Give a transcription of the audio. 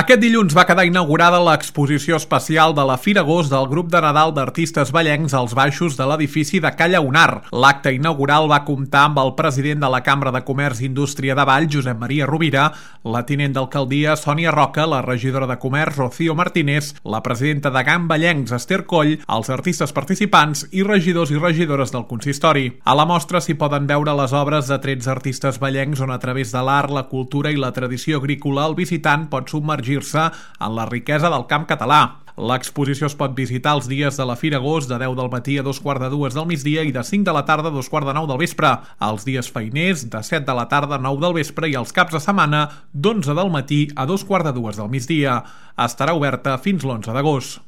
Aquest dilluns va quedar inaugurada l'exposició especial de la Fira Agost del grup de Nadal d'artistes vallencs als baixos de l'edifici de Ca Llaunar. L'acte inaugural va comptar amb el president de la Cambra de Comerç i Indústria de Vall, Josep Maria Rovira, la tinent d'alcaldia, Sònia Roca, la regidora de Comerç, Rocío Martínez, la presidenta de GAM Vallencs, Esther Coll, els artistes participants i regidors i regidores del consistori. A la mostra s'hi poden veure les obres de 13 artistes vallencs on a través de l'art, la cultura i la tradició agrícola el visitant pot submergir-se en la riquesa del camp català. L'exposició es pot visitar els dies de la Fira Agost de 10 del matí a 2:45 del migdia i de 5 de la tarda a 2:45 del vespre. Els dies feiners de 7 de la tarda a 9 del vespre i els caps de setmana d'11 del matí a 2:45 del migdia. Estarà oberta fins l'11 d'agost.